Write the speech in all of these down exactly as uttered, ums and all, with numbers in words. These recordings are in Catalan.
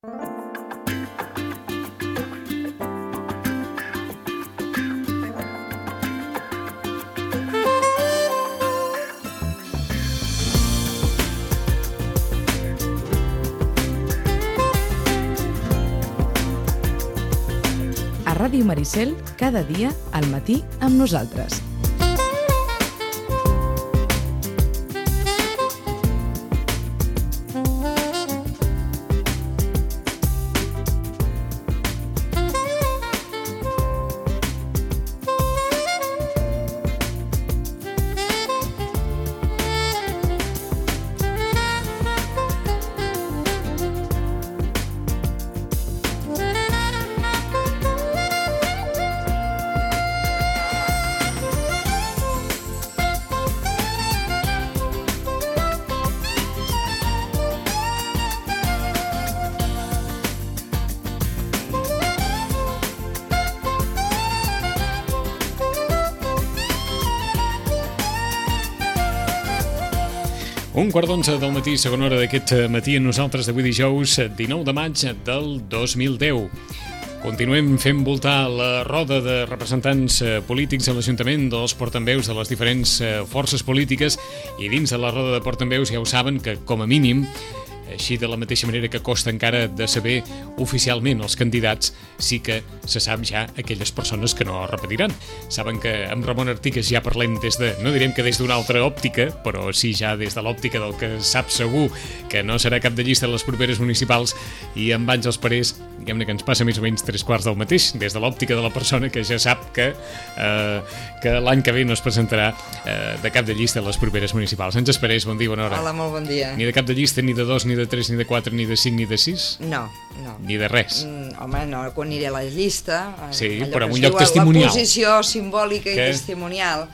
A Ràdio Maricel, cada dia, al matí, amb nosaltres. Un quart d'onze del matí, segona hora d'aquest matí, amb nosaltres d'avui dijous, dinou de maig del dos mil deu. Continuem fent voltar la roda de representants polítics a l'Ajuntament, dels portaveus de les diferents forces polítiques, i dins de la roda de portaveus ja ho saben que, com a mínim, així de la mateixa manera que costa encara de saber oficialment els candidats, sí que se sap ja aquelles persones que no repetiran. Saben que amb Ramon Artigas ja parlem des de, no direm que des d'una altra òptica, però sí ja des de l'òptica del que sap segur que no serà cap de llista a les properes municipals, i amb Àngels Parés, diguem-ne que ens passa més o menys tres quarts del mateix, des de l'òptica de la persona que ja sap que, eh, que l'any que ve no es presentarà eh, de cap de llista a les properes municipals. Àngels Parés, bon dia, bona hora. Hola, molt bon dia. Ni de cap de llista, ni de dos, ni de de tres, ni de quatre, ni de cinc, ni de sis? No, no. Ni de res? Mm, home, no, quan aniré a la llista... Sí, però en un lloc testimonial. La posició simbòlica que... i testimonial,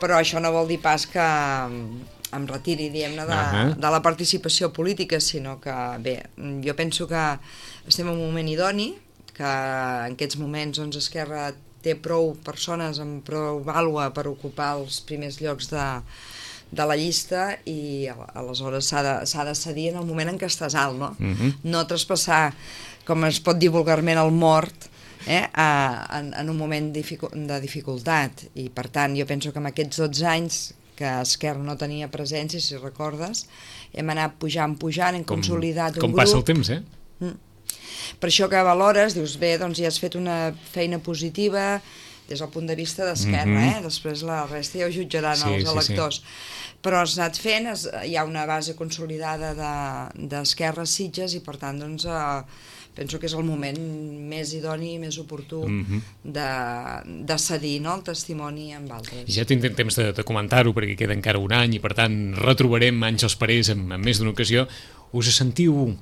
però això no vol dir pas que em retiri, diguem-ne, de, uh-huh. de la participació política, sinó que, bé, jo penso que estem en un moment idoni, que en aquests moments, doncs, Esquerra té prou persones amb prou vàlua per ocupar els primers llocs de de la llista, i aleshores s'ha de, s'ha de cedir en el moment en què estàs alt, no? Uh-huh. No traspassar, com es pot dir vulgarment, el mort eh, a, en, en un moment dificu de dificultat, i per tant jo penso que en aquests dotze anys que Esquerra no tenia presència, si recordes, hem anat pujant, pujant, hem com, consolidat un com grup. Com passa el temps, eh? Mm. Per això que valores, dius, bé, doncs ja has fet una feina positiva des del punt de vista d'Esquerra, mm-hmm. eh? Després la resta ja ho jutjaran sí, els electors. Sí, sí. Però has anat fent, es, hi ha una base consolidada d'Esquerra de, Sitges, i per tant, doncs, eh, penso que és el moment més idoni i més oportú mm-hmm. de, de cedir, no?, el testimoni amb altres. Ja tindrem temps de, de comentar-ho, perquè queda encara un any, i per tant retrobarem Àngels Parés en, en més d'una ocasió. Us sentiu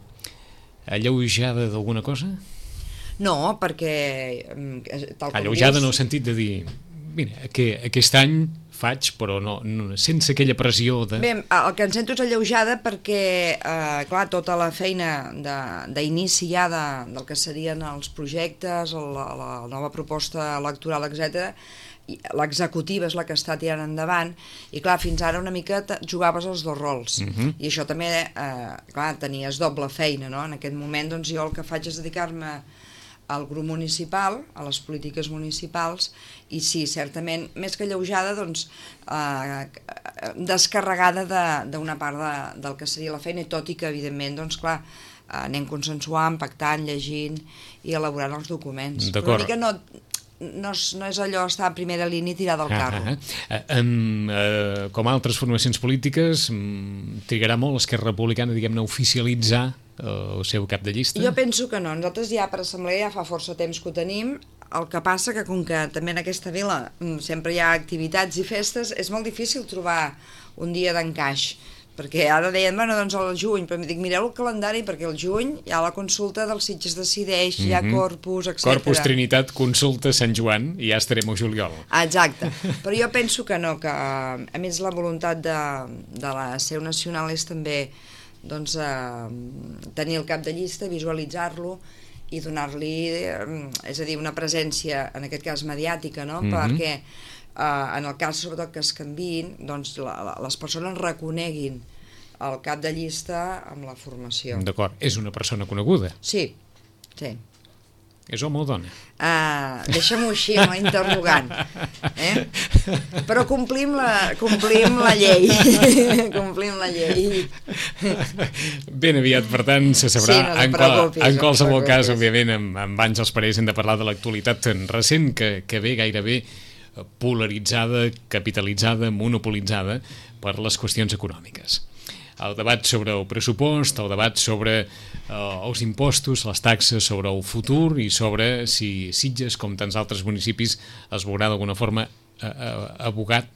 alleujada d'alguna cosa? No, perquè... Tal com alleujada dius... en el sentit de dir, mira, que aquest any faig, però no, no, sense aquella pressió de... Bé, el que em sento és alleujada perquè, eh, clar, tota la feina d'inici ja de, del que serien els projectes, la, la nova proposta electoral, etcètera, l'executiva és la que està tirant endavant, i clar, fins ara una mica jugaves els dos rols, uh-huh. i això també, eh, clar, tenies doble feina, no? En aquest moment, doncs, jo el que faig és dedicar-me al grup municipal, a les polítiques municipals, i sí, certament, més que alleujada, doncs, eh, descarregada d'una part de, del que seria la feina, i tot i que, evidentment, doncs, clar, anem consensuant, pactant, llegint i elaborant els documents. Però una mica no... No és, no és allò estar a primera línia i tirar del carro. Ah, ah, ah. Um, uh, com altres formacions polítiques, um, trigarà molt Esquerra Republicana, diguem-ne, a oficialitzar uh, el seu cap de llista? Jo penso que no. Nosaltres ja per assemblea ja fa força temps que ho tenim. El que passa que com que també en aquesta vila sempre hi ha activitats i festes, és molt difícil trobar un dia d'encaix. Perquè ara deien, bueno, doncs al juny, però em dic, mireu el calendari, perquè al juny hi ha la consulta dels Sitges Decideix, hi ha Corpus, etcètera. Corpus, Trinitat, consulta, Sant Joan, i ja estarem a juliol. Exacte, però jo penso que no, que a més la voluntat de, de la seu nacional és també, doncs, eh, tenir el cap de llista, visualitzar-lo i donar-li, eh, és a dir, una presència, en aquest cas mediàtica, no? Mm-hmm. Perquè Uh, en el cas sobretot que es canviïn, doncs la, la, les persones reconeguin el cap de llista amb la formació. D'acord, és una persona coneguda? Sí, sí. És home o dona? Uh, Deixa-m'ho així, amb la interrogant. Eh? Però complim la, complim la llei. complim la llei. Ben aviat, per tant, se sabrà. Sí, no en, qual, en qualsevol no cas, òbviament, amb, amb Àngels Parés hem de parlar de l'actualitat recent que, que ve gairebé polaritzada, capitalitzada, monopolitzada per les qüestions econòmiques. El debat sobre el pressupost, el debat sobre eh, els impostos, les taxes, sobre el futur i sobre si Sitges, com tants altres municipis, es veurà d'alguna forma eh, eh, abogat,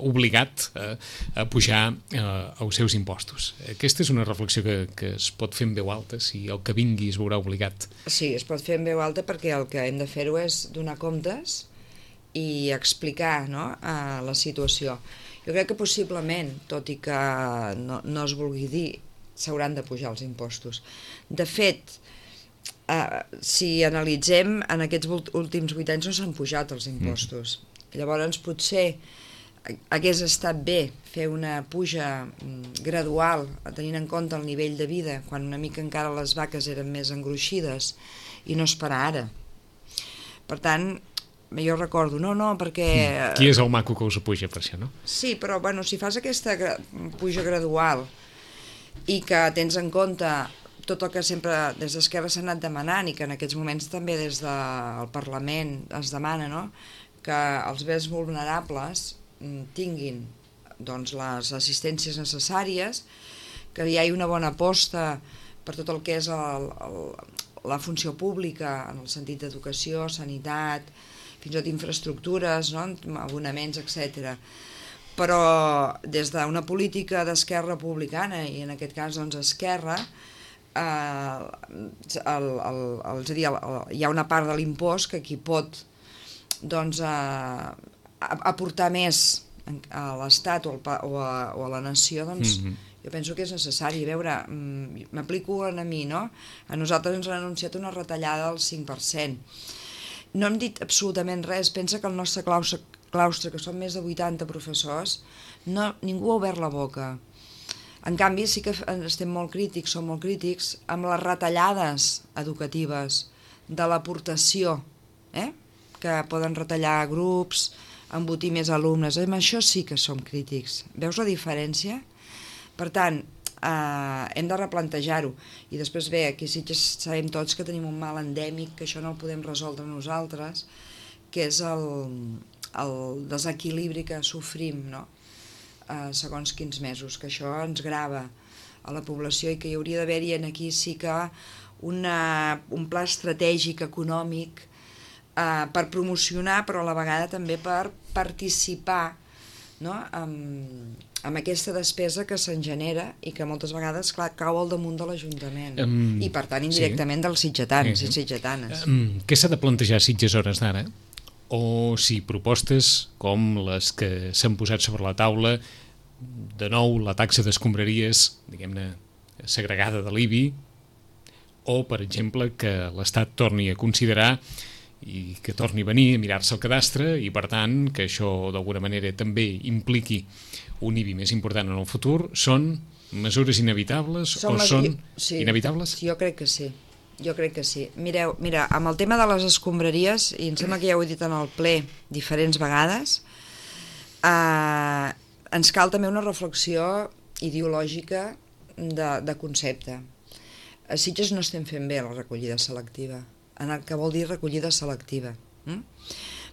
obligat eh, a pujar eh, els seus impostos. Aquesta és una reflexió que, que es pot fer en veu alta, si el que vingui es veurà obligat. Sí, es pot fer en veu alta perquè el que hem de fer-ho és donar comptes i explicar, no?, eh, la situació. Jo crec que possiblement, tot i que no, no es vulgui dir, s'hauran de pujar els impostos. De fet, eh, si analitzem, en aquests últims vuit anys no s'han pujat els impostos. Mm. Llavors, potser hagués estat bé fer una puja gradual, tenint en compte el nivell de vida, quan una mica encara les vaques eren més engruixides, i no esperar ara. Per tant, jo recordo, no, no, perquè... Qui és el maco que us apuja per això, no? Sí, però bueno, si fas aquesta gra... puja gradual i que tens en compte tot el que sempre des d'Esquerra s'ha anat demanant i que en aquests moments també des del Parlament es demana, no?, que els més vulnerables tinguin, doncs, les assistències necessàries, que hi hagi una bona aposta per tot el que és el, el, la funció pública en el sentit d'educació, sanitat, fins i tot infraestructures, no?, abonaments, etcètera. Però des d'una política d'Esquerra Republicana, i en aquest cas doncs Esquerra, eh, el, el, el, és a dir, el, el, hi ha una part de l'impost que qui pot doncs, eh, aportar més a l'Estat o, o, a, o a la nació, doncs, mm-hmm. jo penso que és necessari. A veure, m'aplico a mi, no? A nosaltres ens han anunciat una retallada del cinc per cent. No hem dit absolutament res. Pensa que el nostre claustre, claustre que són més de vuitanta professors, no, ningú ha obert la boca. En canvi, sí que estem molt crítics, som molt crítics, amb les retallades educatives de l'aportació, eh? que poden retallar grups, embotir més alumnes. Amb això sí que som crítics. Veus la diferència? Per tant, Uh, hem de replantejar-ho. I després bé, aquí sí que sabem tots que tenim un mal endèmic, que això no el podem resoldre nosaltres, que és el, el desequilibri que sofrim, no?, uh, segons quins mesos, que això ens grava a la població i que hi hauria d'haver-hi aquí sí que una, un pla estratègic econòmic uh, per promocionar, però a la vegada també per participar, no?, amb, amb aquesta despesa que se'n genera i que moltes vegades, clar, cau al damunt de l'Ajuntament um, i per tant indirectament sí. dels sitgetans i sitgetanes. Um, què s'ha de plantejar a Sitges a hores d'ara? O si propostes com les que s'han posat sobre la taula, de nou la taxa d'escombraries, diguem-ne, segregada de l'I B I, o per exemple que l'Estat torni a considerar i que torni a venir a mirar-se el cadastre i per tant que això d'alguna manera també impliqui un I B I més important en el futur. Són mesures inevitables són o mes... són sí. inevitables? Jo crec que sí, jo crec que sí. Mireu, mira, amb el tema de les escombraries, i em sembla que ja ho he dit en el ple diferents vegades, eh, ens cal també una reflexió ideològica de, de concepte. A Sitges no estem fent bé la recollida selectiva, en el que vol dir recollida selectiva. Mm?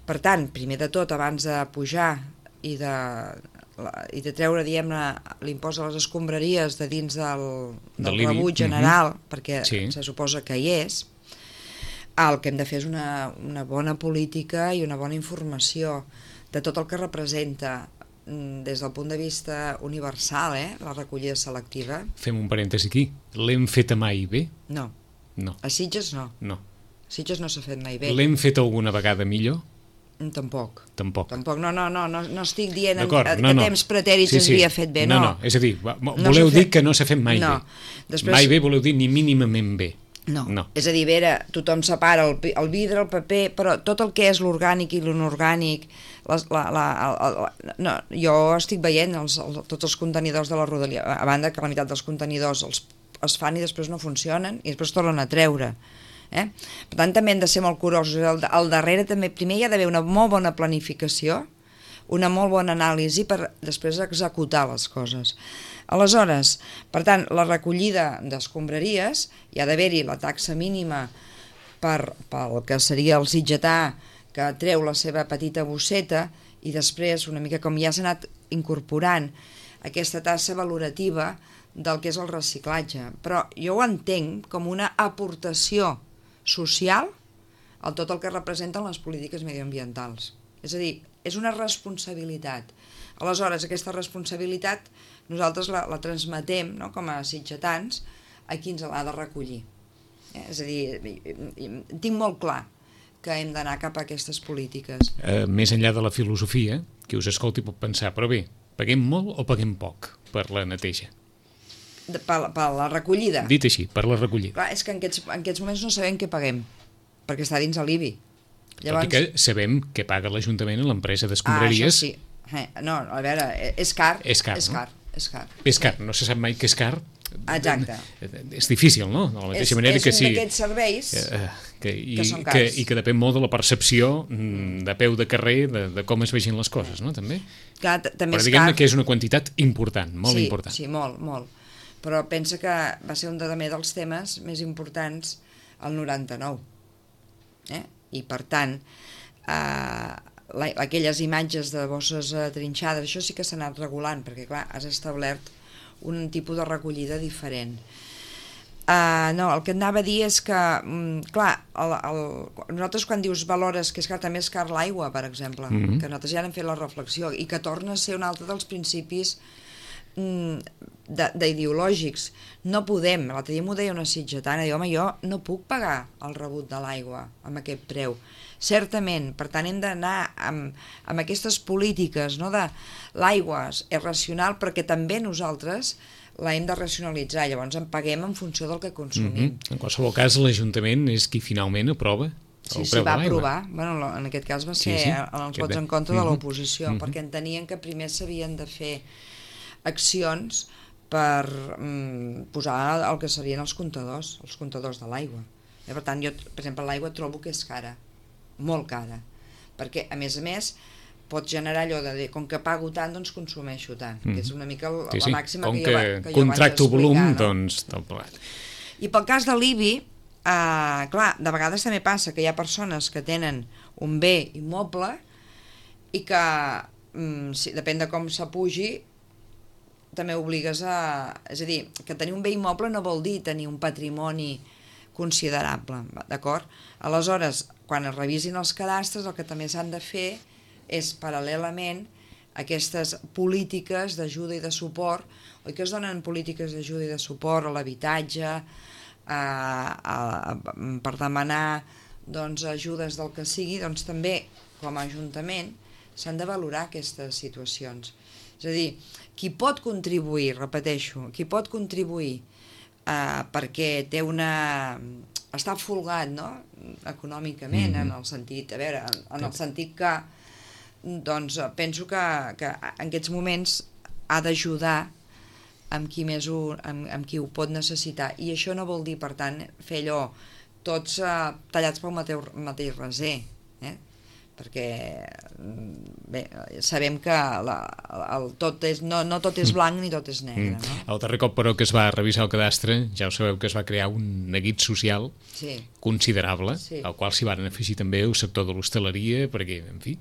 Per tant, primer de tot, abans de pujar i de, i de treure, diguem-ne, l'impost a les escombraries de dins del, del rebut general, mm-hmm. perquè sí. se suposa que hi és, el que hem de fer és una, una bona política i una bona informació de tot el que representa des del punt de vista universal, eh, la recollida selectiva. Fem un parèntesi aquí. L'hem feta mai bé? No. No. A Sitges no. No. A Sitges no s'ha fet mai bé. L'hem fet alguna vegada millor? Tampoc. Tampoc. Tampoc. No, no, no, no, no estic dient en, que no, no. temps pretèrits sí, sí. es havia fet bé, no. No, no, és a dir, voleu no dir fet... que no s'ha fet mai no. bé. Després... Mai bé voleu dir ni mínimament bé. No. no. És a dir, vera, tothom separa el, el vidre, el paper, però tot el que és l'orgànic i l'inorgànic, les, la, la, la, la, no, jo estic veient els, els, tots els contenidors de la Rodalia, a banda que la meitat dels contenidors els, es fan i després no funcionen i després tornen a treure. Eh? Per tant, també hem de ser molt curosos. Al, al darrere també, primer hi ha d'haver una molt bona planificació, una molt bona anàlisi per després executar les coses. Aleshores, per tant, la recollida d'escombraries, hi ha d'haver-hi la taxa mínima per, pel que seria el sitgetà que treu la seva petita bosseta i després, una mica com ja s'ha anat incorporant aquesta taxa valorativa del que és el reciclatge. Però jo ho entenc com una aportació social a tot el que representen les polítiques mediambientals. És a dir, és una responsabilitat. Aleshores, aquesta responsabilitat nosaltres la, la transmetem, no?, com a sitgetans a qui ens l'ha de recollir. Eh? És a dir, tinc molt clar que hem d'anar cap a aquestes polítiques. Eh, més enllà de la filosofia, qui us escolti pot pensar, però bé, paguem molt o paguem poc per la neteja? De, per, per la recollida. Dit així, per la recollida. Clar, és que en aquests, en aquests moments no sabem què paguem, perquè està dins l'I B I. Llavors... Tot i que sabem que paga l'Ajuntament a l'empresa d'escombraries. Ah, això sí. Eh, no, a veure, és car. És car, és no? car, és car. És car, no se sap mai que és car. Exacte. És difícil, no? De la mateixa és, manera és que un sí. d'aquests serveis eh, que, i, que són que, cars. I que depèn molt de la percepció de peu de carrer, de, de com es vegin les coses, no? També. Clar, també però és diguem-ne car. que és una quantitat important, molt sí, important. Sí, molt, molt. Però pensa que va ser un també dels temes més importants al noranta-nou. Eh? I per tant, eh, la, aquelles imatges de bosses eh, trinxades, això sí que s'ha anat regulant, perquè clar, has establert un tipus de recollida diferent. Uh, no, el que anava a dir és que, um, clar, el, el, nosaltres quan dius valores que és car, també és car l'aigua, per exemple, mm-hmm. que nosaltres ja hem fet la reflexió, i que torna a ser un altre dels principis um, d'ideològics. No podem, l'altre dia m'ho deia una sitgetana, diu, home, jo no puc pagar el rebut de l'aigua amb aquest preu. Certament, per tant hem d'anar amb, amb aquestes polítiques, no, de l'aigua és racional perquè també nosaltres la hem de racionalitzar, llavors en paguem en funció del que consumim. Mm-hmm. En qualsevol cas, l'Ajuntament és qui finalment aprova sí, el sí, preu de l'aigua. Sí, sí, va aprovar. Bueno, en aquest cas va ser sí, sí. els vots en contra mm-hmm. de l'oposició, mm-hmm. perquè entenien que primer s'havien de fer accions per mm, posar el que serien els comptadors, els comptadors de l'aigua. Per tant, jo, per exemple, l'aigua trobo que és cara, molt cara, perquè, a més a més, pot generar allò de dir, com que pago tant, doncs consumeixo tant, mm. que és una mica la, sí, sí. la màxima com que, que, jo, que jo contracto volum, no? doncs tot plat. I pel cas de l'I B I, eh, clar, de vegades també passa que hi ha persones que tenen un bé immoble i que, mm, si, depèn de com s'apugi, també obligues a... És a dir, que tenir un bé immoble no vol dir tenir un patrimoni considerable, d'acord? Aleshores, quan es revisin els cadastres, el que també s'han de fer és, paral·lelament, aquestes polítiques d'ajuda i de suport, oi que es donen polítiques d'ajuda i de suport a l'habitatge, a, a, a, per demanar doncs, ajudes del que sigui, doncs també, com a Ajuntament, s'han de valorar aquestes situacions. És a dir, qui pot contribuir, repeteixo, qui pot contribuir eh, perquè té una... està folgat, no?, econòmicament, mm-hmm. en el sentit, a veure, en, en el sentit que, doncs, penso que, que en aquests moments ha d'ajudar amb qui més ho, amb, amb qui ho pot necessitar, i això no vol dir, per tant, fer allò tots eh, tallats pel mateix, mateix raser, eh? Perquè bé, sabem que la, el tot és, no, no tot és blanc ni tot és negre. No? El darrer cop, però, que es va revisar el cadastre, ja ho sabeu que es va crear un neguit social sí. considerable, sí. al qual s'hi van afegir també el sector de l'hostaleria, perquè, en fi,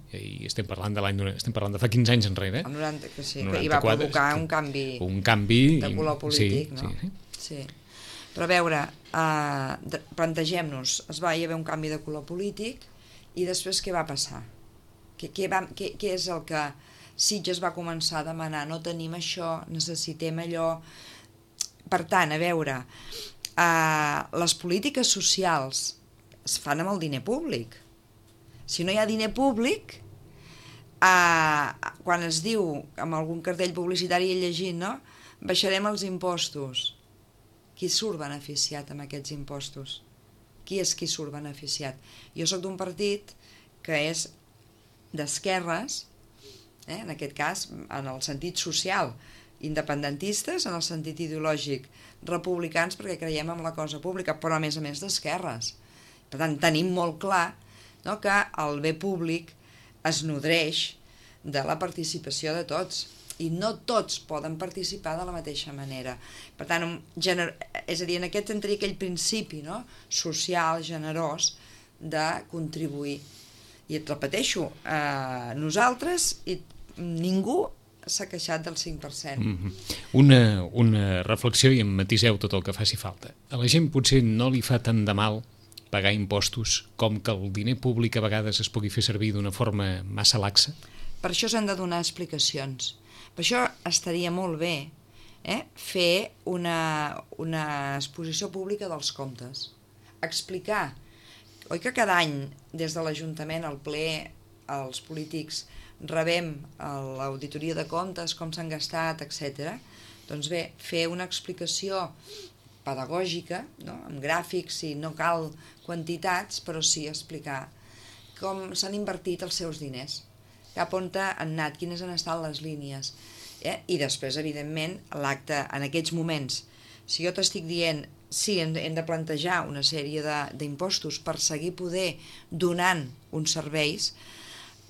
estem parlant de l'any, estem parlant de fa quinze anys enrere. El noranta, que sí, noranta-quatre, que hi va provocar un canvi, un canvi de color polític, sí, no? Sí, sí. sí. Però a veure, eh, plantegem-nos, es va hi haver un canvi de color polític, i després què va passar? Què, què, va, què, què és el que Sitges va començar a demanar? No tenim això, necessitem allò. Per tant, a veure, eh, les polítiques socials es fan amb el diner públic. Si no hi ha diner públic, eh, quan es diu, amb algun cartell publicitari he llegit, no?, baixarem els impostos. Qui qui surt beneficiat amb aquests impostos? Qui és qui surt beneficiat? Jo sóc d'un partit que és d'esquerres, eh, en aquest cas, en el sentit social, independentistes, en el sentit ideològic, republicans perquè creiem en la cosa pública, però a més a més d'esquerres. Per tant, tenim molt clar, no, que el bé públic es nodreix de la participació de tots, i no tots poden participar de la mateixa manera. Per tant, un gener... és a dir, en aquest entri aquell principi, no, social, generós, de contribuir. I et repeteixo, eh, nosaltres, i ningú s'ha queixat del cinc per cent. Mm-hmm. una, una reflexió i em matiseu tot el que faci falta. A la gent potser no li fa tant de mal pagar impostos com que el diner públic a vegades es pugui fer servir d'una forma massa laxa? Per això s'han de donar explicacions. Per això estaria molt bé eh, fer una, una exposició pública dels comptes. Explicar. Oi que cada any, des de l'Ajuntament, al ple, els polítics rebem l'auditoria de comptes, com s'han gastat, etcètera. Doncs bé, fer una explicació pedagògica, no? Amb gràfics, i no cal quantitats, però sí explicar com s'han invertit els seus diners, cap on han anat, quines han estat les línies. Eh? I després, evidentment, l'acte en aquests moments, si jo t'estic dient sí, hem de plantejar una sèrie d'impostos per seguir poder donant uns serveis,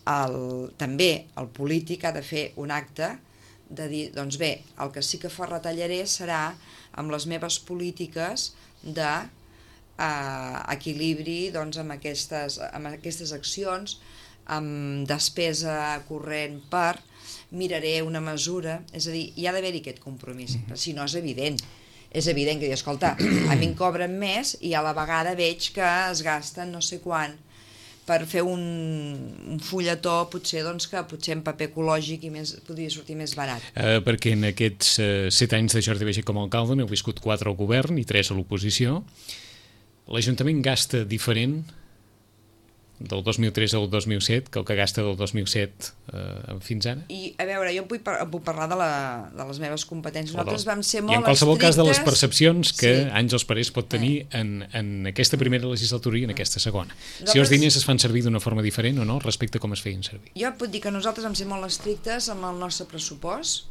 el, també el polític ha de fer un acte de dir, doncs bé, el que sí que retallaré serà amb les meves polítiques d'equilibri eh, doncs, amb, aquestes, amb aquestes accions, amb despesa corrent per, miraré una mesura, és a dir, hi ha d'haver-hi aquest compromís, però si no és evident. És evident que, escolta, a mi em cobren més i a la vegada veig que es gasten no sé quant per fer un, un fulletó, potser, doncs, que potser en paper ecològic i més, podria sortir més barat. Uh, perquè en aquests uh, set anys de Jordi Baiget com a alcalde n'heu viscut quatre al govern i tres a l'oposició. L'Ajuntament gasta diferent del dos mil tres al dos mil set que el que gasta del dos mil set eh, fins ara? I a veure, jo puc, par puc parlar de, la, de les meves competències. Nosaltres vam ser molt estrictes. I en qualsevol estrictes... cas de les percepcions que sí. Àngels Parés pot tenir eh. en, en aquesta primera legislatura i en aquesta segona. Nosaltres... Si els diners es fan servir d'una forma diferent o no respecte a com es feien servir. Jo puc dir que nosaltres vam ser molt estrictes amb el nostre pressupost.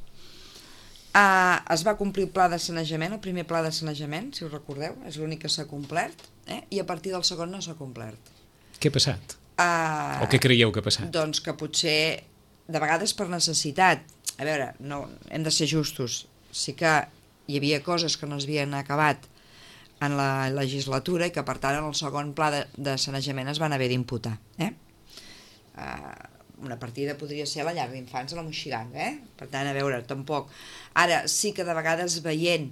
Uh, es va complir el pla de sanejament, el primer pla de sanejament, si us recordeu, és l'únic que s'ha complert, eh? I a partir del segon no s'ha complert. Què ha passat? Uh, o què creieu que ha passat? Doncs que potser, de vegades per necessitat, a veure, no, hem de ser justos, sí que hi havia coses que no es havien acabat en la legislatura i que per tant en el segon pla de, de sanejament es van haver d'imputar. Eh? Uh, una partida podria ser la llar d'infants a la Moixiganga, eh? Per tant, a veure, tampoc. Ara, sí que de vegades veient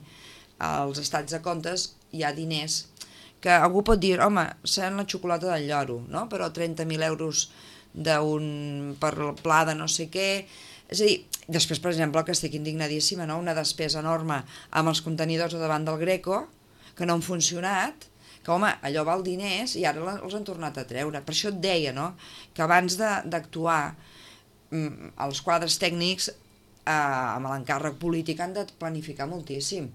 els estats de comptes hi ha diners que algú pot dir, home, sent la xocolata del lloro, no? Però trenta mil euros d'un per pla de no sé què... És a dir, després, per exemple, que estic indignadíssima, no? Una despesa enorme amb els contenidors davant del Greco, que no han funcionat, que, home, allò val diners i ara els han tornat a treure. Per això et deia, no?, que abans d'actuar, els quadres tècnics eh, amb l'encàrrec polític han de planificar moltíssim,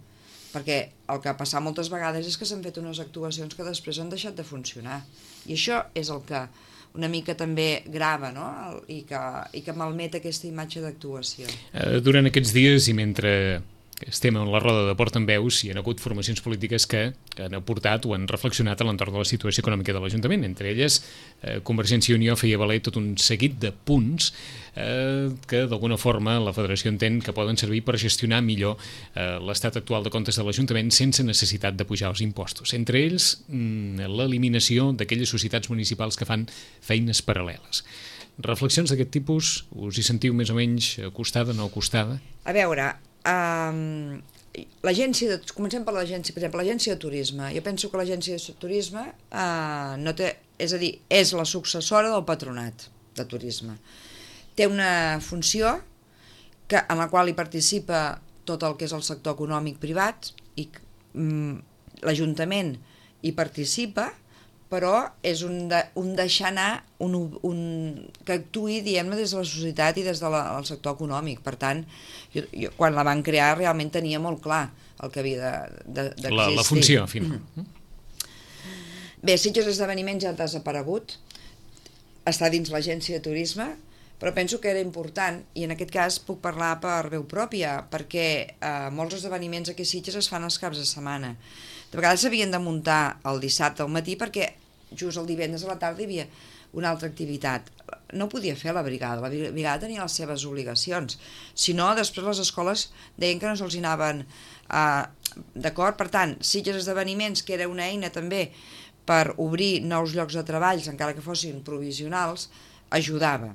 perquè el que ha passat moltes vegades és que s'han fet unes actuacions que després han deixat de funcionar. I això és el que una mica també grava, no?, I que, i que malmet aquesta imatge d'actuació. Uh, durant aquests dies i mentre estem en la roda de portaveus hi ha hagut formacions polítiques que han aportat o han reflexionat a l'entorn de la situació econòmica de l'Ajuntament. Entre elles, eh, Convergència i Unió feia valer tot un seguit de punts eh, que d'alguna forma la Federació entén que poden servir per gestionar millor eh, l'estat actual de comptes de l'Ajuntament sense necessitat de pujar els impostos. Entre ells, mm, l'eliminació d'aquelles societats municipals que fan feines paral·leles. Reflexions d'aquest tipus, us hi sentiu més o menys acostada, no acostada? A veure, um, l'agència de, comencem per l'agència, per exemple, l'agència de turisme. Jo penso que l'agència de turisme uh, no té, és a dir, és la successora del patronat de turisme. Té una funció que, en la qual hi participa tot el que és el sector econòmic privat i um, l'Ajuntament hi participa, però és un, de, un deixar anar un, un, que actuï, diguem-ne, des de la societat i des del de sector econòmic. Per tant, jo, jo, quan la van crear realment tenia molt clar el que havia d'existir. La, la funció, final. Mm. Bé, Sitges Esdeveniments ja ha desaparegut, està dins l'agència de turisme, però penso que era important, i en aquest cas puc parlar per veu pròpia, perquè eh, molts esdeveniments aquí a Sitges es fan els caps de setmana. De vegades s'havien de muntar el dissabte al matí perquè just el divendres a la tarda hi havia una altra activitat. No podia fer la brigada, la brigada tenia les seves obligacions. Si no, després les escoles deien que no se'ls anaven eh, d'acord. Per tant, Sitges Esdeveniments, que era una eina també per obrir nous llocs de treball, encara que fossin provisionals, ajudava.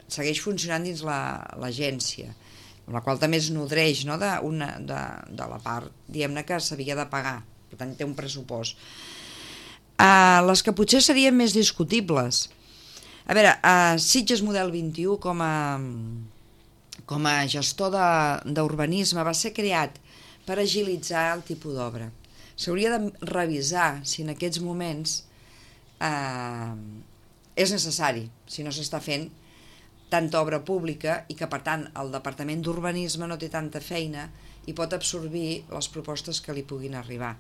Segueix funcionant dins l'agència, la, la qual també es nodreix, no, de, una, de, de la part, diguem-ne, que s'havia de pagar. Per tant, té un pressupost. Uh, les que potser serien més discutibles. A veure, uh, Sitges Model vint-i-u com a, com a gestor d'urbanisme va ser creat per agilitzar el tipus d'obra. S'hauria de revisar si en aquests moments uh, és necessari, si no s'està fent tanta obra pública i que, per tant, el Departament d'Urbanisme no té tanta feina i pot absorbir les propostes que li puguin arribar.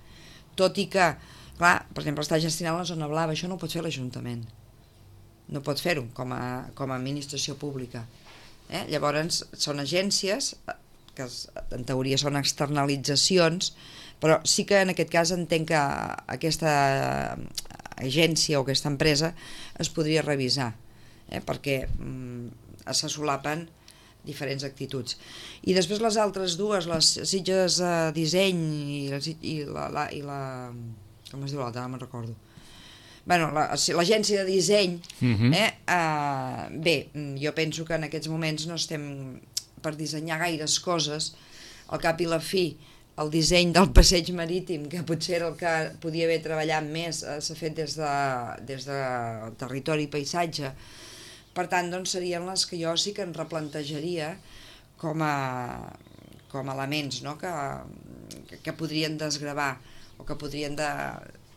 Tot i que, clar, per exemple, està gestionant la zona blava, això no ho pot fer l'Ajuntament. No pot fer-ho com a, com a administració pública. Eh? Llavors, són agències, que en teoria són externalitzacions, però sí que en aquest cas entenc que aquesta agència o aquesta empresa es podria revisar, eh? perquè mm, se solapen diferents actituds. I després les altres dues, les Sitges eh, Disseny i, i, la, la, i la... com es diu l'altra? No me'n recordo. Bueno, l'agència de disseny, uh-huh. eh, eh, bé, jo penso que en aquests moments no estem per dissenyar gaires coses. Al cap i la fi, el disseny del passeig marítim, que potser era el que podia haver treballat més, eh, s'ha fet des de, des de territori i paisatge. Per tant, doncs, serien les que jo sí que en replantejaria com a, com a elements, no? que, que podrien desgravar o que podrien de,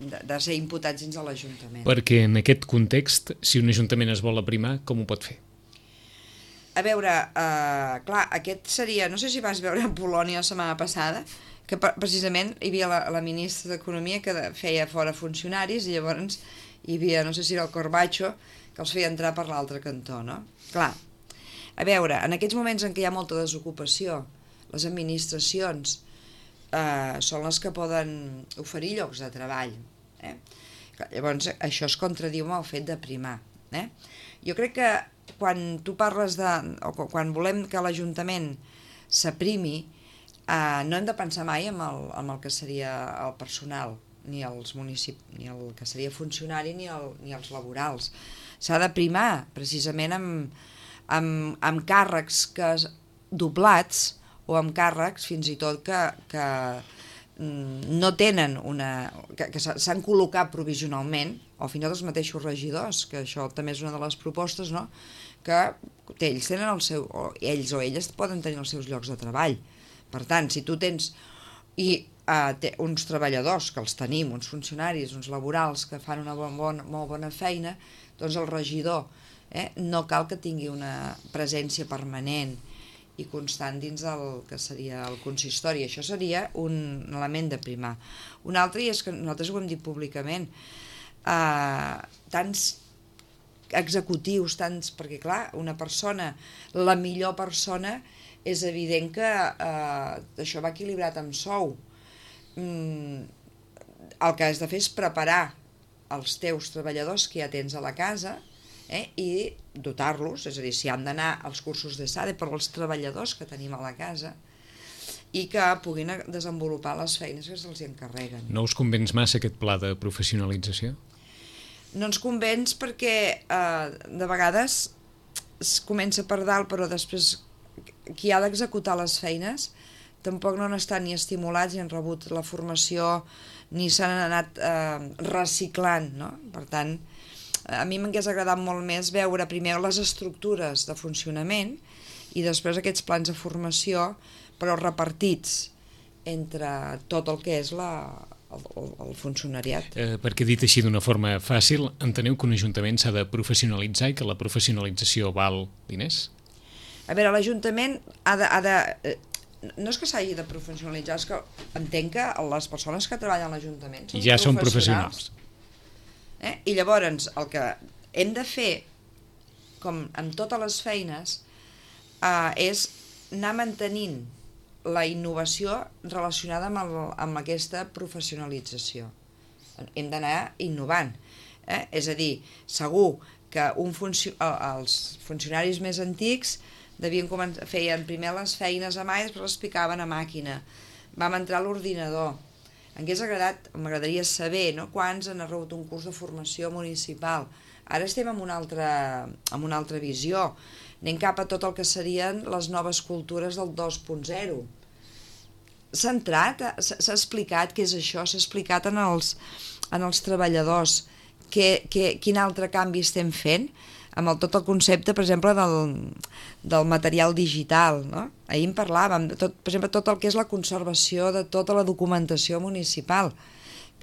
de, de ser imputats dins de l'Ajuntament. Perquè en aquest context, si un Ajuntament es vol aprimar, com ho pot fer? A veure, eh, clar, aquest seria... No sé si vas veure a Polònia la setmana passada, que precisament hi havia la, la ministra d'Economia que feia fora funcionaris i llavors hi havia, no sé si era el Corbacho, que els feia entrar per l'altre cantó, no? Clar, a veure, en aquests moments en què hi ha molta desocupació, les administracions eh, són les que poden oferir llocs de treball. Eh? Llavors, això es contradiu amb el fet d'aprimar. Eh? Jo crec que quan tu parles de... o quan volem que l'Ajuntament s'aprimi, eh, no hem de pensar mai en el, en el que seria el personal, ni els municipis, ni el que seria funcionari, ni, el, ni els laborals. S'ha de primar precisament amb, amb, amb càrrecs que, doblats o amb càrrecs fins i tot que, que no tenen una... que, que s'han col·locat provisionalment, o fins i tot els mateixos regidors, que això també és una de les propostes, no? Que ells tenen el seu... o ells o elles poden tenir els seus llocs de treball. Per tant, si tu tens... i uh, té uns treballadors, que els tenim, uns funcionaris, uns laborals que fan una bon, bon, molt bona feina, doncs el regidor eh, no cal que tingui una presència permanent i constant dins del que seria el consistori. Això seria un element de primar. Un altre, i és que nosaltres ho hem dit públicament, eh, tants executius, tants, perquè clar, una persona, la millor persona, és evident que eh, això va equilibrat amb sou. Mm, el que has de fer és preparar els teus treballadors que ja tens a la casa eh, i dotar-los, és a dir, si han d'anar als cursos de SADE per als treballadors que tenim a la casa i que puguin desenvolupar les feines que se'ls encarreguen. No us convenç massa aquest pla de professionalització? No ens convenç perquè eh, de vegades es comença per dalt, però després qui ha d'executar les feines tampoc no han estat ni estimulats ni han rebut la formació ni s'han anat eh, reciclant, no? Per tant, a mi m'hagués agradat molt més veure primer les estructures de funcionament i després aquests plans de formació, però repartits entre tot el que és la, el, el funcionariat. Eh, perquè dit així d'una forma fàcil, enteneu que un ajuntament s'ha de professionalitzar i que la professionalització val diners? A veure, l'Ajuntament ha de... Ha de eh, no és que s'hagi de professionalitzar, és que entenc que les persones que treballen a l'Ajuntament són ja són professionals. professionals. Eh? I llavors el que hem de fer, com amb totes les feines, eh, és anar mantenint la innovació relacionada amb, el, amb aquesta professionalització. Hem d'anar innovant. Eh? És a dir, segur que un funcio els funcionaris més antics devien començar, feien primer les feines a mà i després les picaven a màquina. Vam entrar a l'ordinador. M'hagués agradat, m'agradaria saber, no?, quants han rebut un curs de formació municipal. Ara estem en una altra, en una altra visió. Anem cap a tot el que serien les noves cultures del dos punt zero. S'ha entrat, s'ha explicat què és això, s'ha explicat en els, en els treballadors que, que, quin altre canvi estem fent amb el, tot el concepte, per exemple, del, del material digital, no? Ahir en parlàvem, de tot, per exemple, tot el que és la conservació de tota la documentació municipal.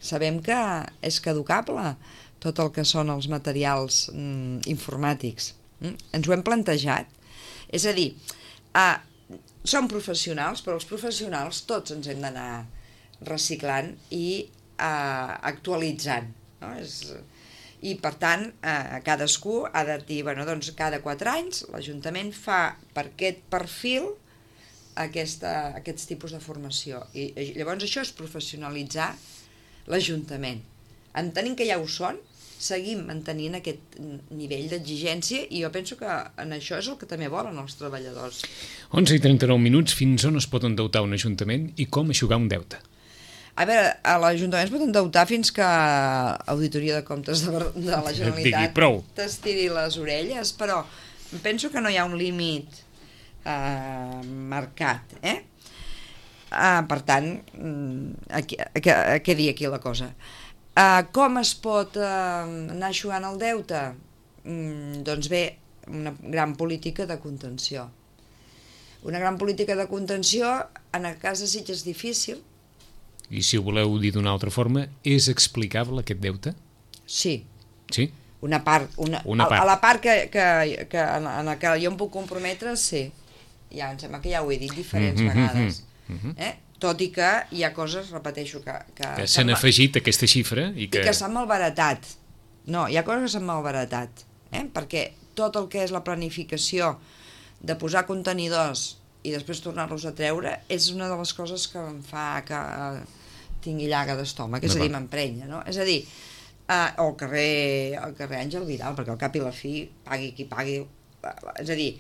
Sabem que és caducable tot el que són els materials mm, informàtics. Mm? Ens ho hem plantejat. És a dir, eh, som professionals, però els professionals tots ens hem d'anar reciclant i eh, actualitzant, no? És... I, per tant, eh, cadascú ha de dir, bueno, doncs cada quatre anys l'Ajuntament fa per aquest perfil aquesta, aquests tipus de formació. I, i llavors això és professionalitzar l'Ajuntament. Entenint que ja ho són, seguim mantenint aquest nivell d'exigència i jo penso que en això és el que també volen els treballadors. onze i trenta-nou minuts, fins on es pot endeutar un ajuntament i com eixugar un deute? A veure, a l'Ajuntament es pot endeutar fins que Auditoria de Comptes de, de la Generalitat t'estiri les orelles, però penso que no hi ha un límit eh, marcat, eh? Eh, per tant, aquí, aquí, què dir aquí la cosa? Eh, com es pot eh, anar eixugant el deute? Mm, doncs bé, una gran política de contenció. Una gran política de contenció, en el cas de Sitges és difícil. I si ho voleu dir d'una altra forma, és explicable aquest deute? Sí. Sí? Una part. Una, una part. A, a la part que, que, que en, en la que jo em puc comprometre, sí. Ja, em sembla que ja ho he dit diferents mm -hmm, vegades. Mm -hmm. eh? Tot i que hi ha coses, repeteixo, que... Que, que s'han afegit aquesta xifra i que... I que s'han malbaratat. No, hi ha coses que s'han malbaratat. Eh? Perquè tot el que és la planificació de posar contenidors i després tornar-los a treure és una de les coses que em fa que tingui llaga d'estómac, és a dir, m'emprenya, no? És a dir, eh, o el carrer, el carrer Àngel Vidal, perquè al cap i la fi, pagui qui pagui, és a dir,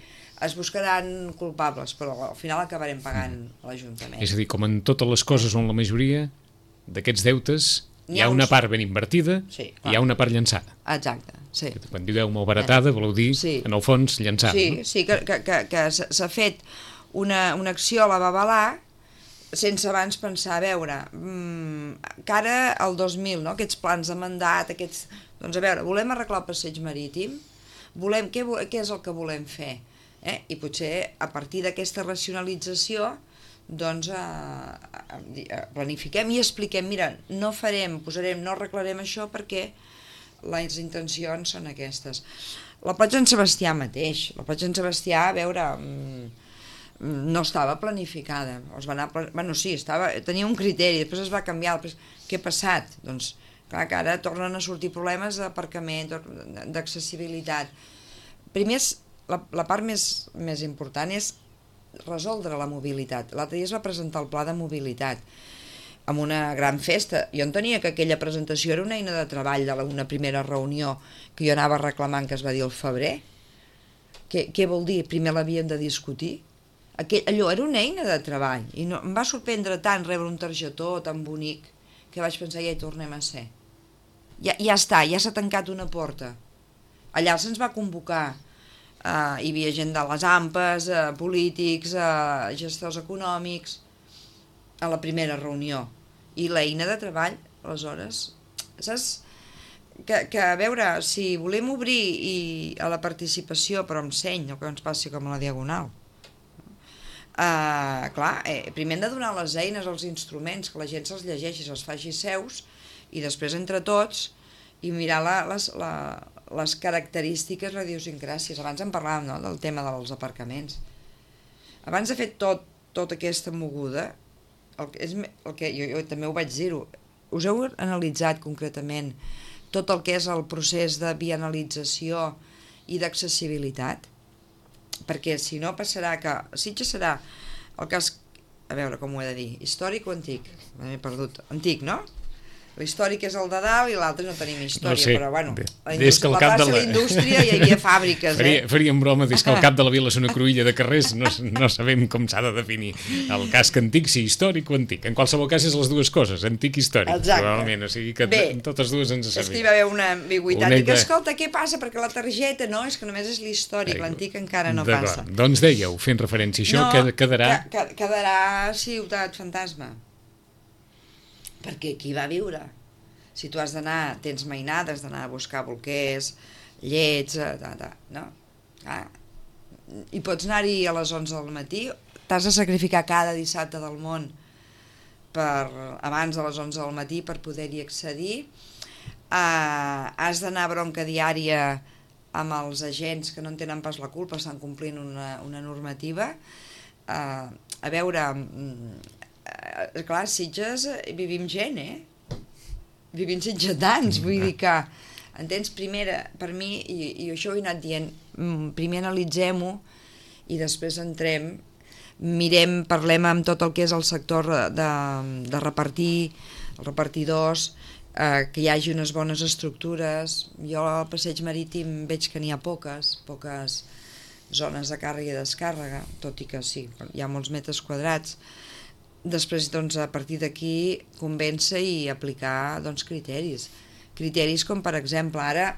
es buscaran culpables, però al final acabarem pagant l'Ajuntament. És a dir, com en totes les coses o en la majoria d'aquests deutes, hi ha una part ben invertida sí, i hi ha una part llançada. Exacte, sí. Quan dieu malbaratada, voleu dir, sí. en el fons, llançada. Sí, no? sí, que, que, que, que s'ha fet una, una acció a la Babalà sense abans pensar, a veure, mmm, que ara el dos mil, no? Aquests plans de mandat, aquests... Doncs a veure, volem arreglar el passeig marítim? Volem, què, què és el que volem fer? Eh? I potser a partir d'aquesta racionalització doncs eh, planifiquem i expliquem, mira, no farem, posarem, no arreglarem això perquè les intencions són aquestes. La platja en Sebastià mateix, la platja en Sebastià, a veure... Mmm, no estava planificada, es va anar, bueno, sí, estava, tenia un criteri, després es va canviar, després, què ha passat? Doncs, clar que ara tornen a sortir problemes d'aparcament, d'accessibilitat. Primer, la, la part més, més important és resoldre la mobilitat. L'altre dia es va presentar el pla de mobilitat amb una gran festa. Jo entenia que aquella presentació era una eina de treball d'una primera reunió que jo anava reclamant, que es va dir al febrer. Què, què vol dir? Primer l'havíem de discutir? Aquell, allò era una eina de treball i no, em va sorprendre tant rebre un targetó tan bonic que vaig pensar, ja hi tornem a ser. Ja, ja està, ja s'ha tancat una porta. Allà se'ns va convocar, eh, hi havia gent de les AMPAs, eh, polítics, eh, gestors econòmics, a la primera reunió. I l'eina de treball, aleshores, saps? Que, que a veure, si volem obrir i, a la participació, però amb seny, el que ens passi com a la Diagonal, Uh, clar, eh, primer hem de donar les eines, els instruments, que la gent se'ls llegeixi, se'ls faci seus, i després entre tots i mirar la, les, la, les característiques, la idiosincràcies. Abans en parlàvem, no?, del tema dels aparcaments. Abans de fer tot, tota aquesta moguda, el, és, el que jo, jo també ho vaig dir-ho, us heu analitzat concretament tot el que és el procés de vianalització i d'accessibilitat? Perquè si no passarà que Sitges serà el cas, a veure com ho he de dir, històric o antic? M'he perdut. Antic, no? L'històric és el de dalt i l'altre no tenim història, no sé, però bueno, la, indústria, la plaça de la indústria hi havia fàbriques, faria, eh? Faríem broma, des que al cap de la vila és una cruïlla de carrers, no, no sabem com s'ha de definir el casc antic, si històric o antic. En qualsevol cas és les dues coses, antic i històric. Exacte. Probablement, o sigui que bé, totes dues ens servim. És que hi va haver una ambigüitat, una... i que escolta, què passa? Perquè la targeta, no, és que només és l'històric, l'antic encara no passa. Doncs dèieu, fent referència a això, no, quedarà... Que, quedarà Ciutat Fantasma. Perquè qui va viure? Si tu has d'anar, tens mainades, d'anar a buscar bolquers, llets, da, da, no? Ah. I pots anar-hi a les onze del matí, t'has de sacrificar cada dissabte del món per, abans de les onze del matí per poder-hi accedir. Uh, has d'anar a bronca diària amb els agents que no en tenen pas la culpa, estan complint una, una normativa. Uh, a veure, uh, clar, Sitges vivim gent, eh? Vivim sitgetans, vull dir que, entens, primera, per mi, i, i això ho he anat dient, primer analitzem-ho i després entrem, mirem, parlem amb tot el que és el sector de, de repartir, els repartidors, eh, que hi hagi unes bones estructures. Jo al passeig marítim veig que n'hi ha poques, poques zones de càrrega i descàrrega, tot i que sí, hi ha molts metres quadrats. Després, doncs, a partir d'aquí, convèncer i aplicar, doncs, criteris. Criteris com, per exemple, ara,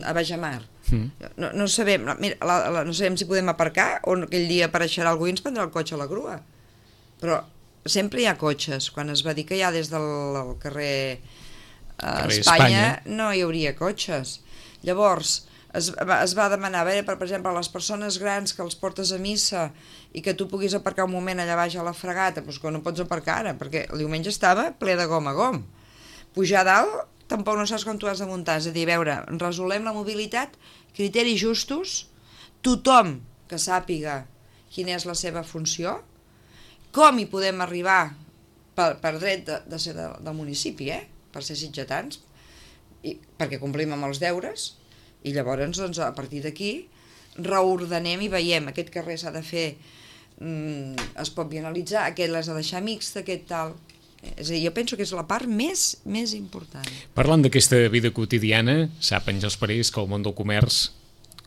a Bajamar. Mm. No, no, sabem, mira, la, la, no sabem si podem aparcar o aquell dia apareixerà algú i ens prendrà el cotxe a la grua. Però sempre hi ha cotxes. Quan es va dir que ja des del carrer, eh, carrer Espanya, Espanya no hi hauria cotxes. Llavors, es va, es va demanar, a veure, per, per exemple, a les persones grans que els portes a missa i que tu puguis aparcar un moment allà baix a la fregata, doncs que no pots aparcar ara, perquè el diumenge estava ple de gom a gom. Pujar a dalt, tampoc no saps quan tu has de muntar, és a dir, a veure, resolem la mobilitat, criteris justos, tothom que sàpiga quina és la seva funció, com hi podem arribar per, per dret de, de ser de, del municipi, eh? Per ser sitgetans, i, perquè complim amb els deures, i llavors, doncs, a partir d'aquí, reordenem i veiem, aquest carrer s'ha de fer, mm, es pot vianalitzar, aquest l'has de deixar mixta, aquest tal. És a dir, jo penso que és la part més, més important. Parlant d'aquesta vida quotidiana, sap Àngels Parés que el món del comerç,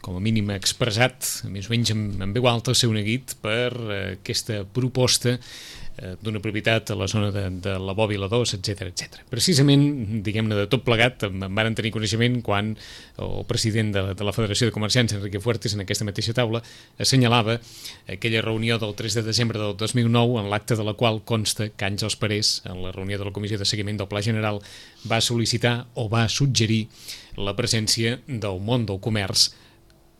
com a mínim expressat, més o menys amb, amb veu alta, s'ha neguit per eh, aquesta proposta eh, d'una propietat a la zona de, de la Bòbila dos, etcètera, etcètera. Precisament, diguem-ne, de tot plegat, en varen tenir coneixement quan el president de, de la Federació de Comerciants, Enrique Fuertes, en aquesta mateixa taula, assenyalava aquella reunió del tres de desembre del dos mil nou, en l'acte de la qual consta que Àngels Parés, en la reunió de la Comissió de Seguiment del Pla General, va sol·licitar o va suggerir la presència del món del comerç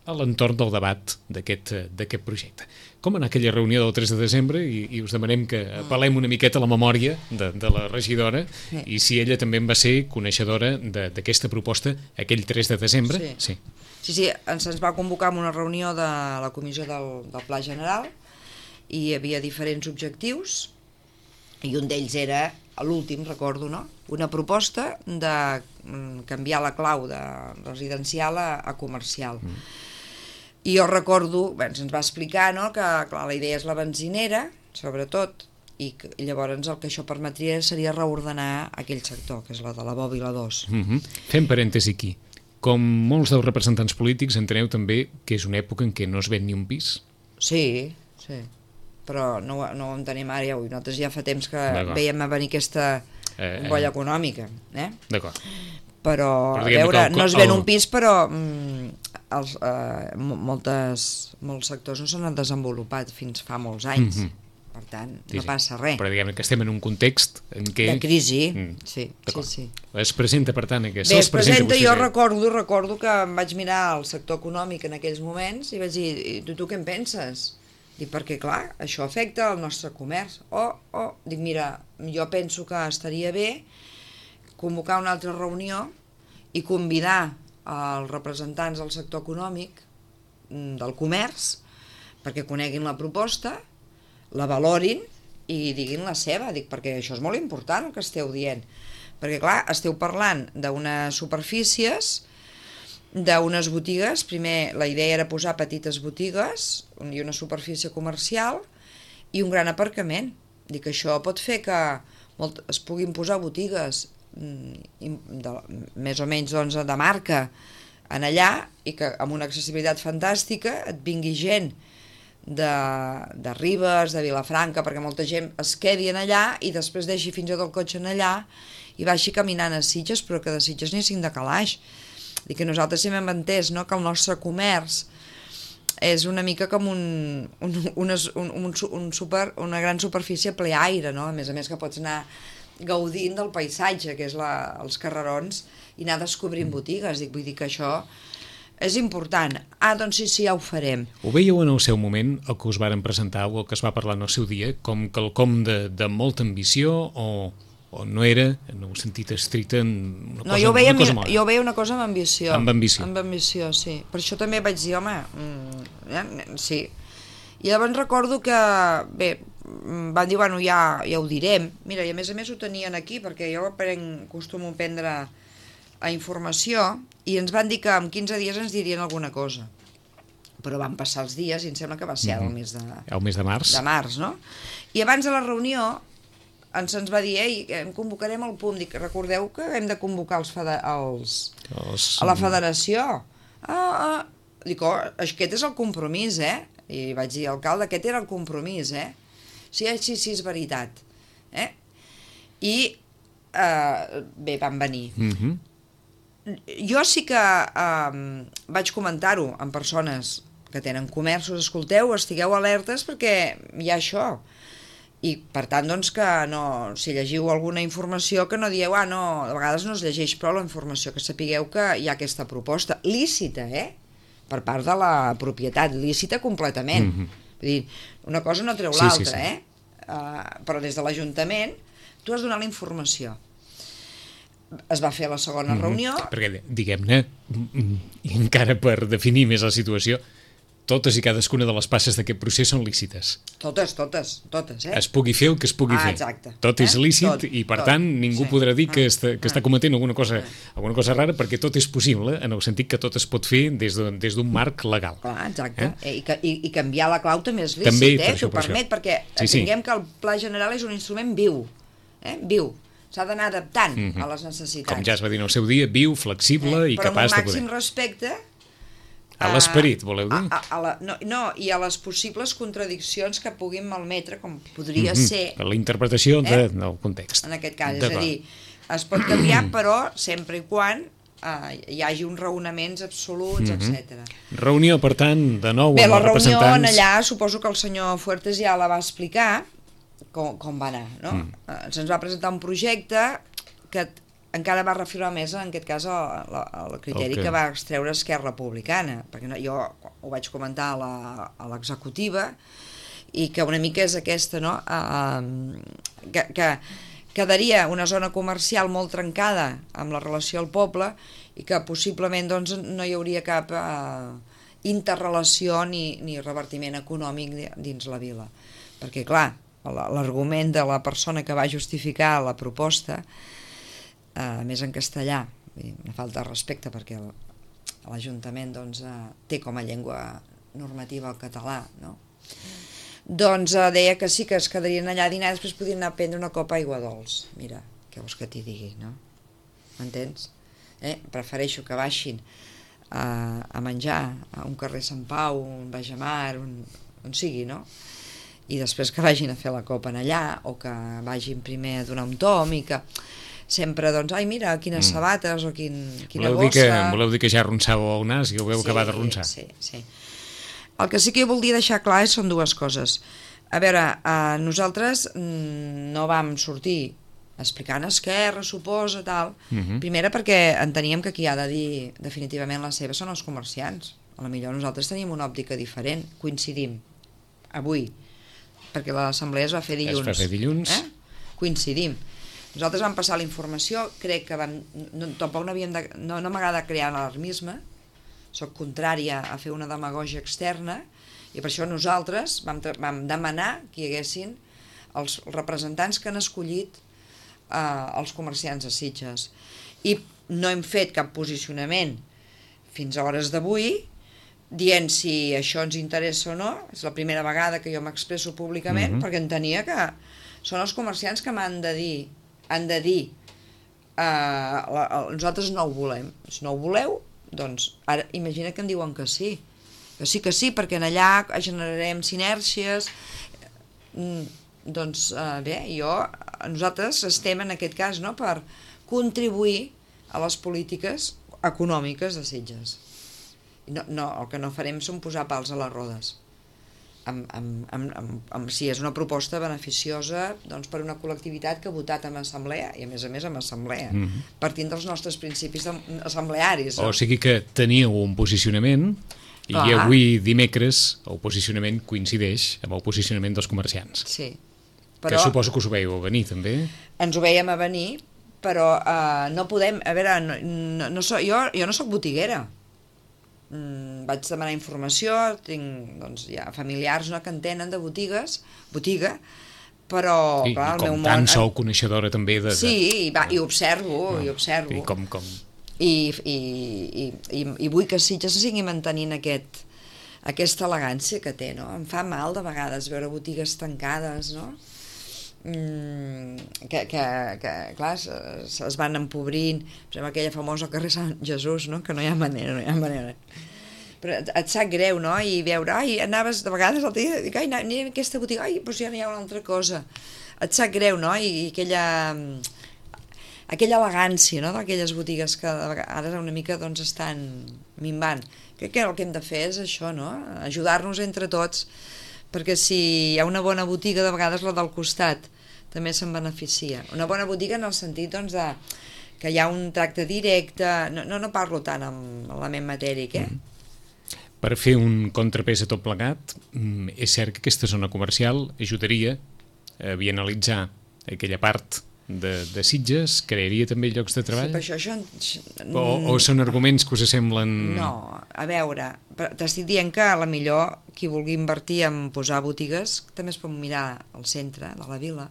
a l'entorn del debat d'aquest d'aquest projecte. Com en aquella reunió del tres de desembre, i, i us demanem que apel·lem una miqueta a la memòria de, de la regidora, sí. I si ella també en va ser coneixedora d'aquesta proposta aquell tres de desembre. Sí, sí, sí, sí ens, ens va convocar en una reunió de la comissió del, del Pla General i hi havia diferents objectius i un d'ells era, l'últim recordo, no? Una proposta de canviar la clau de residencial a, a comercial. Mm. I jo recordo, bé, ens va explicar, no?, que clar, la idea és la benzinera, sobretot, i, que, i llavors el que això permetria seria reordenar aquell sector, que és la de la Bòbila dos. Mm-hmm. Fem parèntesi aquí. Com molts dels representants polítics, enteneu també que és una època en què no es ven ni un pis? Sí, sí, però no, no ho entenem ara, ja, nosaltres ja fa temps que veiem a venir aquesta bombolla eh, econòmica. Eh? D'acord. Però, però a veure, el, no es ven el... un pis, però mm, els, eh, moltes, molts sectors no s'han desenvolupat fins fa molts anys. Mm-hmm. Per tant, sí, no passa res. Però diguem que estem en un context en què... De crisi, mm. sí, sí, sí. Es presenta, per tant, que Bé, es presenta, presenta jo recordo, recordo que em vaig mirar el sector econòmic en aquells moments i vaig dir, tu, tu què en penses? Dic, perquè, clar, això afecta el nostre comerç. O, o, dic, mira, jo penso que estaria bé convocar una altra reunió i convidar els representants del sector econòmic, del comerç, perquè coneguin la proposta, la valorin i diguin la seva. Dic, perquè això és molt important el que esteu dient. Perquè, clar, esteu parlant d'unes superfícies, d'unes botigues. Primer la idea era posar petites botigues i una superfície comercial i un gran aparcament. Dic, això pot fer que molt, es puguin posar botigues de, més o menys doncs, de marca en allà i que amb una accessibilitat fantàstica et vingui gent de, de Ribes, de Vilafranca, perquè molta gent es quedi en allà i després deixi fins i tot el cotxe en allà i vagi caminant a Sitges, però que de Sitges n'hi cinc de calaix. Dic que nosaltres sempre hem entès, no?, que el nostre comerç és una mica com un, un, un, un, un, un super, una gran superfície ple aire, no? A més a més que pots anar gaudint del paisatge, que és la, els carrerons, i anar descobrint botigues. Dic, vull dir que això és important. Ah, doncs sí, sí, ja ho farem. Ho veieu en el seu moment, el que us varen presentar o el que es va parlar en el seu dia, com quelcom de, de molta ambició o... o no era, en un sentit estricte, una cosa, no, jo veia, una cosa mola? Jo veia una cosa amb ambició. Amb ambició. Amb ambició, sí. Per això també vaig dir, home, mm, eh, sí. I llavors recordo que, bé, van dir, bueno, ja, ja ho direm. Mira, i a més a més ho tenien aquí, perquè jo prenc, acostumo a prendre a informació, i ens van dir que en quinze dies ens dirien alguna cosa. Però van passar els dies i em sembla que va ser mm-hmm. el mes de... El mes de març. De març, no? I abans de la reunió ens ens va dir, ei, convocarem el P U M. Dic, recordeu que hem de convocar els, els, els... a la federació. Ah, ah. Dic, oh, aquest és el compromís, eh? I vaig dir, alcalde, aquest era el compromís, eh? Sí, sí, sí, és veritat. Eh? I, eh, bé, van venir. Mm-hmm. Jo sí que eh, vaig comentar-ho amb persones que tenen comerços, escolteu, estigueu alertes perquè hi ha això. I, per tant, doncs, que no, si llegiu alguna informació, que no dieu, ah, no, a vegades no es llegeix prou la informació, que sapigueu que hi ha aquesta proposta, lícita, eh?, per part de la propietat, lícita completament. Mm-hmm. Vull dir, una cosa no treu sí, l'altra, sí, sí. eh? Uh, però des de l'Ajuntament tu has donat la informació. Es va fer la segona mm-hmm. reunió... Perquè, diguem-ne, i encara per definir més la situació, totes i cadascuna de les passes d'aquest procés són lícites. Totes, totes, totes, eh? Es pugui fer el que es pugui ah, fer. Exacte. Tot eh? és lícit tot, i, per tot, tant, ningú sí. podrà dir que, ah, està, que ah, està cometent alguna cosa, ah. alguna cosa rara, perquè tot és possible, en el sentit que tot es pot fer des d'un de, des marc legal. Clar, exacte. Eh? I, que, i, I canviar la clau també és lícit, també, eh? T'ho per permet, perquè sí, sí. tinguem que el Pla General és un instrument viu, eh? Viu. S'ha d'anar adaptant mm-hmm. a les necessitats. Com ja es va dir en el seu dia, viu, flexible eh? i però capaç de poder. Però amb un màxim respecte... A l'esperit, voleu dir? A, a, a la, no, no, i a les possibles contradiccions que puguin malmetre, com podria mm-hmm. ser... La interpretació de, eh? del context. En aquest cas, és a dir, es pot canviar, però sempre i quan eh, hi hagi uns raonaments absoluts, mm-hmm. etcètera. Reunió, per tant, de nou Bé, amb els representants... Bé, la reunió en allà, suposo que el senyor Fuertes ja la va explicar, com, com va anar, no? Mm. Eh, se'ns va presentar un projecte que encara va reafirmar més, en aquest cas, el, el criteri okay. que va extreure Esquerra Republicana, perquè no, jo ho vaig comentar a l'executiva, i que una mica és aquesta, no?, uh, que, que quedaria una zona comercial molt trencada amb la relació al poble i que possiblement doncs, no hi hauria cap uh, interrelació ni, ni revertiment econòmic dins la vila. Perquè, clar, l'argument de la persona que va justificar la proposta, Uh, més en castellà, vull dir, una falta de respecte perquè l'Ajuntament doncs, uh, té com a llengua normativa el català, no? Doncs uh, deia que sí, que es quedarien allà a dinar i després podrien anar a prendre una copa d'aigua dolç. Mira, què vols que t'hi digui, no? M'entens? Eh? Prefereixo que baixin uh, a menjar a un carrer Sant Pau, un Bajamar, on, on sigui, no? I després que vagin a fer la copa en allà, o que vagin primer a donar un tom i que... sempre, doncs, ai, mira, quines mm. sabates o quin, quina voleu bossa... Dir que, voleu dir que ja arronsàveu el nas i ho veu sí, acabar de ronçar? Sí, sí. El que sí que jo voldria deixar clar són dues coses. A veure, eh, nosaltres mm, no vam sortir explicant Esquerra, suposa, tal. Mm-hmm. Primera perquè enteníem que qui ha de dir definitivament la seva són els comerciants. A la millor nosaltres tenim una òptica diferent, coincidim, avui, perquè l'assemblea es va fer dilluns. Es va fer dilluns. Eh? Coincidim. Nosaltres vam passar la informació, crec que vam, no, tampoc no havíem de, no, no m'agrada crear alarmisme, soc contrària a fer una demagògia externa, i per això nosaltres vam, vam demanar que hi haguessin els representants que han escollit eh, els comerciants de Sitges. I no hem fet cap posicionament fins a hores d'avui, dient si això ens interessa o no. És la primera vegada que jo m'expresso públicament, mm-hmm. perquè entenia que són els comerciants que m'han de dir, han de dir eh, la, nosaltres no ho volem. Si no ho voleu, doncs ara imagina que em diuen que sí, que sí que sí, perquè en allà generarem sinèrcies. Mm, doncs eh, bé, jo, nosaltres estem en aquest cas, no?, per contribuir a les polítiques econòmiques de Sitges. No, no, el que no farem són posar pals a les rodes. Amb, amb, amb, amb, amb, si és una proposta beneficiosa, doncs, per una col·lectivitat que ha votat en assemblea, i a més a més en assemblea, mm-hmm. partint dels nostres principis assemblearis. No? O sigui que teníeu un posicionament i Clar. avui dimecres el posicionament coincideix amb el posicionament dels comerciants. Sí. Però que suposo que us ho veieu a venir, també. Ens ho veiem a venir, però uh, no podem... A veure, no, no, no so, jo, jo no sóc botiguera. Mm, vaig demanar informació, tinc doncs, ja familiars, no?, que en tenen de botigues, botiga, però... I, clar, i com el meu tant món... sou coneixedora també de... de... Sí, i, va, i observo, no, i observo. I com... com... I, i, i, i, i vull que Sitges sigui mantenint aquest, aquesta elegància que té, no? Em fa mal de vegades veure botigues tancades, no?, Mm, que, que, que clar, es, es van empobrint, per exemple, aquella famosa carrer Sant Jesús, no?, que no hi ha manera, no hi ha manera. Però et, et sap greu, no?, i veure, ai, anaves de vegades al dia, dic, ai, anem a aquesta botiga, ai, doncs ja n'hi ha una altra cosa. Et sap greu, no?, i, i aquella aquella elegància, no?, d'aquelles botigues que ara una mica, doncs, estan minvant. Crec que el que hem de fer és això, no?, ajudar-nos entre tots, perquè si hi ha una bona botiga, de vegades la del costat també se'n beneficia. Una bona botiga en el sentit, doncs, de, que hi ha un tracte directe, no, no, no parlo tant amb l'element matèric, eh? Mm. Per fer un contrapès a tot plegat, és cert que aquesta zona comercial ajudaria a bienalitzar aquella part de, de Sitges, crearia també llocs de treball? Sí, però això... això... O, o són arguments que us semblen... No, a veure, t'estic dient que a la millor qui vulgui invertir en posar botigues també es pot mirar al centre de la vila.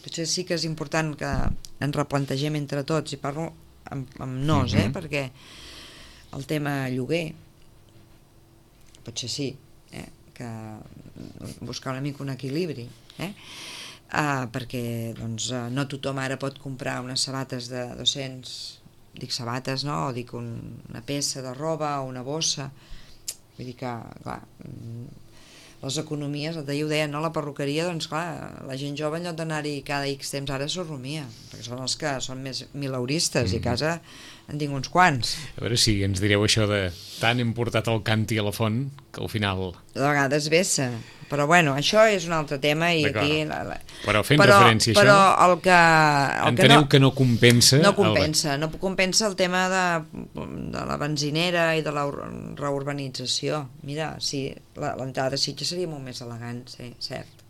Potser sí que és important que ens replantegem entre tots, i parlo amb, amb nos, eh? Mm-hmm. Perquè el tema lloguer, potser sí, eh? Que buscar una mica un equilibri, eh? Uh, perquè doncs, uh, no tothom ara pot comprar unes sabates de dos-cents, dic sabates, no? O dic un, una peça de roba o una bossa. Vull dir que, clar, les economies, el d'ahir ho deien, no? La perruqueria, doncs clar, la gent jove en lloc d'anar-hi cada X temps ara s'ho rumia, perquè són els que són més mileuristes, mm-hmm. i a casa en tinc uns quants. A veure si ens direu això de tant hem portat el canti a la font que al final... De vegades vessa, però bueno, això és un altre tema i aquí... La, la... Però fent però, referència a però això... El que, el enteneu que no, que no compensa... No compensa, el... no compensa el tema de, de la benzinera i de la reurbanització. Mira, sí, l'entrada de Sitges seria molt més elegant, sí, cert.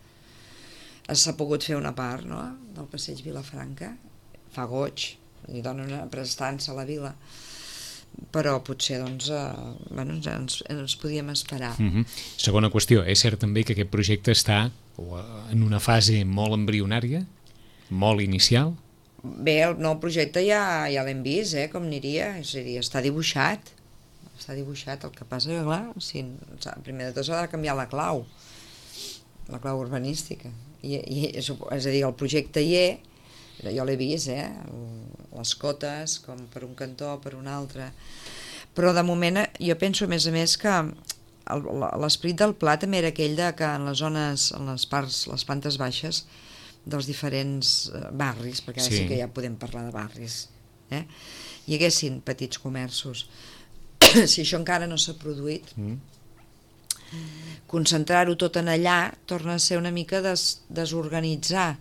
S'ha pogut fer una part, no?, del passeig Vilafranca, fa goig, li dona una prestança a la vila, però potser doncs, eh, bueno, ens, ens podíem esperar. Mm-hmm. Segona qüestió, és cert també que aquest projecte està en una fase molt embrionària, molt inicial? Bé, el nou projecte ja, ja l'hem vist, eh, com aniria, és a dir, està dibuixat, està dibuixat, el que passa que, clar, si, primer de tot s'ha de canviar la clau, la clau urbanística, i, i, és a dir, el projecte hi és, jo l'he vist, eh? Les cotes, com per un cantó, per un altre, però de moment jo penso a més a més que l'esperit del pla també era aquell de que en les zones, en les parts, les plantes baixes dels diferents barris, perquè ara sí, sí que ja podem parlar de barris, eh? Hi haguessin petits comerços. Si això encara no s'ha produït, mm. concentrar-ho tot en allà torna a ser una mica des, desorganitzar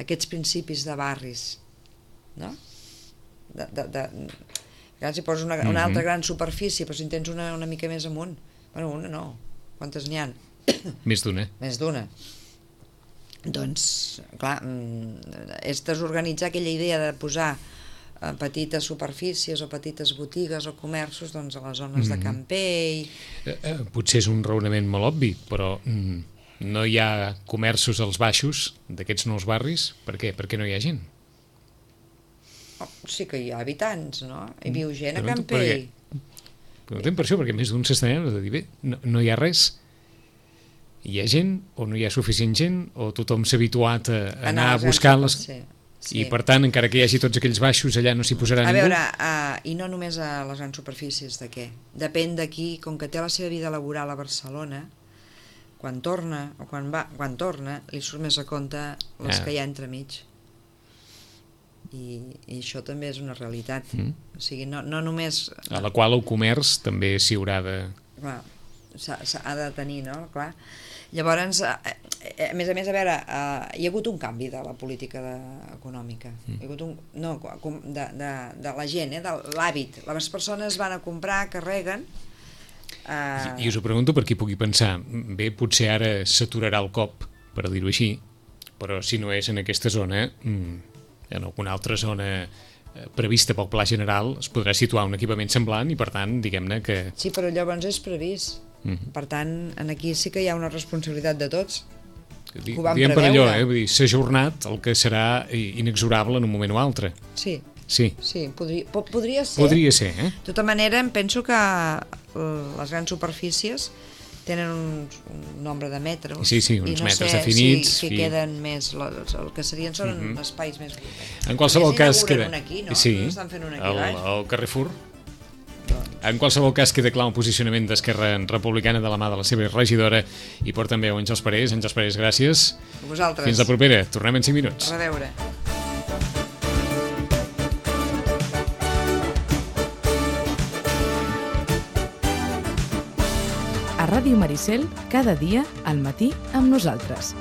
aquests principis de barris, no? De, de, de, si poses una, una altra gran superfície, però si en tens una, una mica més amunt, bueno, una no, quantes n'hi ha? Més d'una. Més d'una. Doncs, clar, és desorganitzar aquella idea de posar petites superfícies o petites botigues o comerços doncs, a les zones mm-hmm. de Campell. Eh, eh, potser és un raonament molt obvi, però mm, no hi ha comerços als baixos d'aquests nous barris? Per què? Perquè no hi ha gent? Oh, sí que hi ha habitants, no? Hi viu gent a Campell. Preguntem per això, perquè més d'un s'està de dir, bé, no, no hi ha res. Hi ha gent o no hi ha suficient gent o tothom s'ha habituat a anar, anar a buscar les... Sí. Sí. I per tant, encara que hi hagi tots aquells baixos, allà no s'hi posarà a ningú? A veure, uh, i no només a les grans superfícies, de què? Depèn d'aquí, com que té la seva vida laboral a Barcelona, quan torna, o quan va, quan torna, li surt més a compte les ah. que hi ha entremig. I, i això també és una realitat. Mm. O sigui, no, no només... A la qual el comerç també s'hi haurà de... Clar, s'ha de tenir, no? Clar. Llavors, a més a més, a veure, hi ha hagut un canvi de la política econòmica. Mm. Hi ha hagut un... No, de, de, de la gent, eh, de l'hàbit. Les persones van a comprar, carreguen... Uh... I, I us ho pregunto per qui pugui pensar. Bé, potser ara s'aturarà el cop, per dir-ho així, però si no és en aquesta zona, en alguna altra zona prevista pel Pla General es podrà situar un equipament semblant i, per tant, diguem-ne que... Sí, però llavors és previst. Mm-hmm. Per tant, aquí sí que hi ha una responsabilitat de tots. Di, diguem per allò, eh? Vull dir, s'ha ajornat el que serà inexorable en un moment o altre. Sí, sí. sí podria, podria ser. Podria ser, eh? De tota manera, em penso que les grans superfícies tenen un, un nombre de metres sí, sí, uns i no metres sé definits si, si queden més, el que serien són mm-hmm. espais més... En qualsevol cas queda... Aquí, no? Sí, no estan fent un aquí el, baix. el Carrefour. En qualsevol cas queda clar el posicionament d'Esquerra Republicana de la mà de la seva regidora i porta també Àngels Parés. Àngels Parés, gràcies. A vosaltres. Fins la propera. Tornem en cinc minuts. A reveure. A Ràdio Maricel, cada dia al matí amb nosaltres.